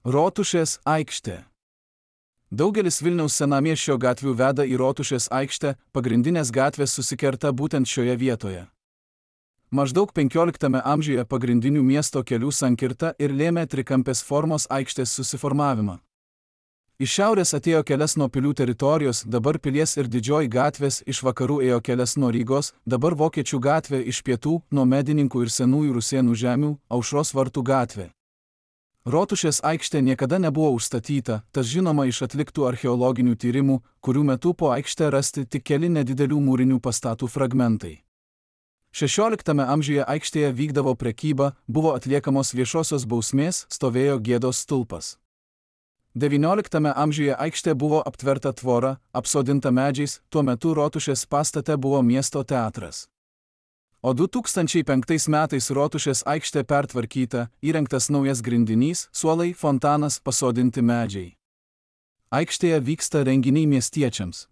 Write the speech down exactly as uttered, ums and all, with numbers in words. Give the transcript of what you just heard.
Rotušės aikštė. Daugelis Vilniaus senamiesčio gatvių veda į Rotušės aikštę, pagrindinės gatvės susikerta būtent šioje vietoje. Maždaug penkioliktame amžiuje pagrindinių miesto kelių sankirta ir lėmė trikampės formos aikštės susiformavimą. Iš šiaurės atėjo kelias nuo Pilių teritorijos, dabar Pilies ir Didžioji gatvės, iš vakarų ėjo kelias nuo Rygos, dabar Vokiečių gatvė, iš pietų nuo Medininkų ir Senųjų Rusėnų žemių, Aušros vartų gatvė. Rotušės aikštė niekada nebuvo užstatyta, tas žinoma iš atliktų archeologinių tyrimų, kurių metu po aikštę rasti tik keli nedidelių mūrinių pastatų fragmentai. šešioliktame amžiuje aikštėje vykdavo prekyba, buvo atliekamos viešosios bausmės, stovėjo Gėdos stulpas. devynioliktame amžiuje aikštė buvo aptverta tvora, apsodinta medžiais, tuo metu Rotušės pastate buvo miesto teatras. O du tūkstančiai penktais metais Rotušės aikštė pertvarkyta, įrengtas naujas grindinys, suolai, fontanas, pasodinti medžiai. Aikštėje vyksta renginiai miestiečiams.